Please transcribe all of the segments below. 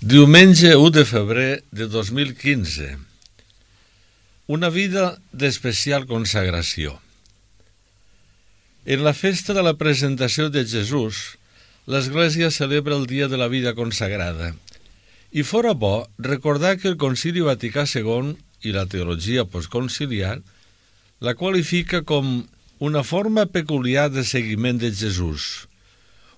Diumenge 1 de febrer de 2015. Una vida d'especial consagració. En la festa de la presentació de Jesús, l'Església celebra el dia de la vida consagrada. I fora bo recordar que el Concili Vaticà II i la teologia postconciliar la qualifica com una forma peculiar de seguiment de Jesús,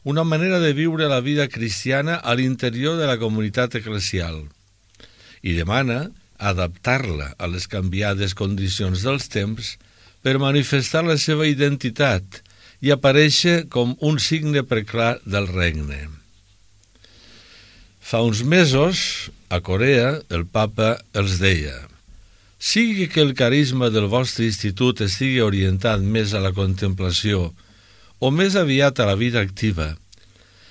una manera de viure la vida cristiana a l'interior de la comunitat eclesial, i demana adaptar-la a les canviades condicions dels temps per manifestar la seva identitat i aparèixer com un signe preclar del regne. Fa uns mesos, a Corea, el papa els deia: sigui que el carisma del vostre institut estigui orientat més a la contemplació o més aviat a la vida activa,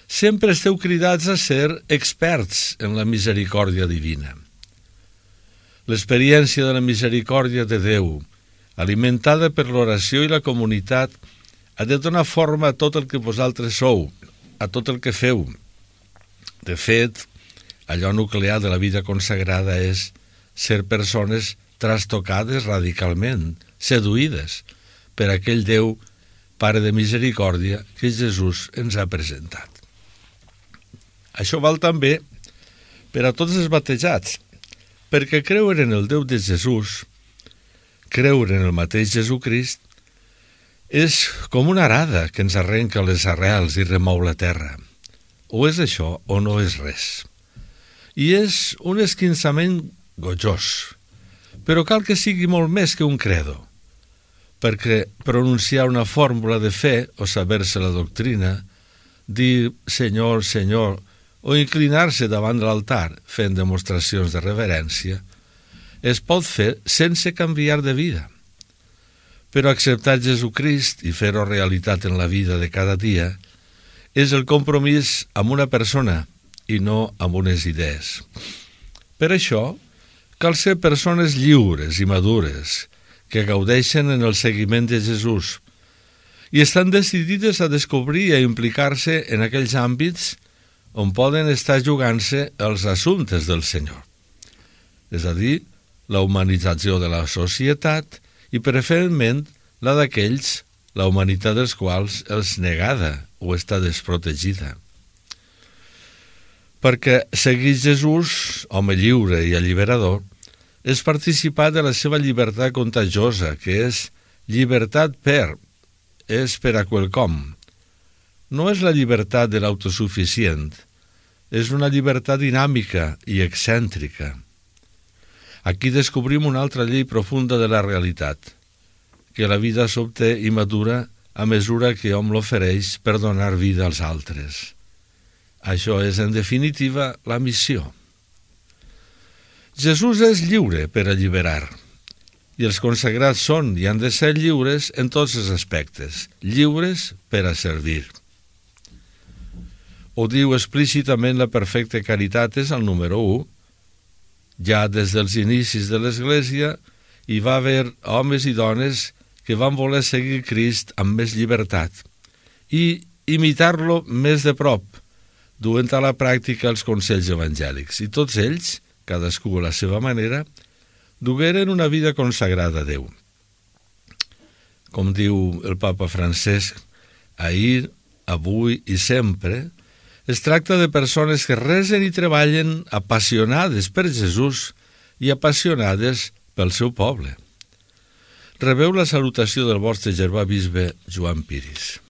sempre esteu cridats a ser experts en la misericòrdia divina. L'experiència de la misericòrdia de Déu, alimentada per l'oració i la comunitat, ha de donar forma a tot el que vosaltres sou, a tot el que feu. De fet, allò nuclear de la vida consagrada és ser persones trastocades radicalment, seduïdes per aquell Déu, Pare de misericòrdia, que Jesús ens ha presentat. Això val també per a tots els batejats, perquè creure en el Déu de Jesús, creure en el mateix Jesucrist, és com una arada que ens arrenca les arrels i remou la terra. O és això o no és res. I és un esquinçament gojós, però cal que sigui molt més que un credo, perquè pronunciar una fórmula de fe o saber-se la doctrina, dir Senyor, Senyor, o inclinar-se davant de l'altar fent demostracions de reverència, es pot fer sense canviar de vida. Però acceptar Jesucrist i fer-ho realitat en la vida de cada dia és el compromís amb una persona i no amb unes idees. Per això, cal ser persones lliures i madures, que gaudeixen en el seguiment de Jesús i estan decidides a descobrir i a implicar-se en aquells àmbits on poden estar jugant-se els assumptes del Senyor. És a dir, la humanització de la societat i preferentment la d'aquells, la humanitat dels quals els negada o està desprotegida. Perquè seguir Jesús, home lliure i alliberador, és participar de la seva llibertat contagiosa, que és llibertat és per a quelcom. No és la llibertat de l'autosuficient, és una llibertat dinàmica i excèntrica. Aquí descobrim una altra llei profunda de la realitat, que la vida s'obté i madura a mesura que hom l'ofereix per donar vida als altres. Això és, en definitiva, la missió. Jesús és lliure per alliberar, i els consagrats són i han de ser lliures en tots els aspectes, lliures per a servir. Ho diu explícitament la perfecta Caritatis al número 1. Ja des dels inicis de l'Església hi va haver homes i dones que van voler seguir Crist amb més llibertat i imitar-lo més de prop, duent a la pràctica els consells evangèlics. I tots ells, cadascú a la seva manera, dugueren una vida consagrada a Déu. Com diu el papa Francesc, ahir, avui i sempre, es tracta de persones que resen i treballen apassionades per Jesús i apassionades pel seu poble. Rebeu la salutació del vostre germà bisbe Joan Piris.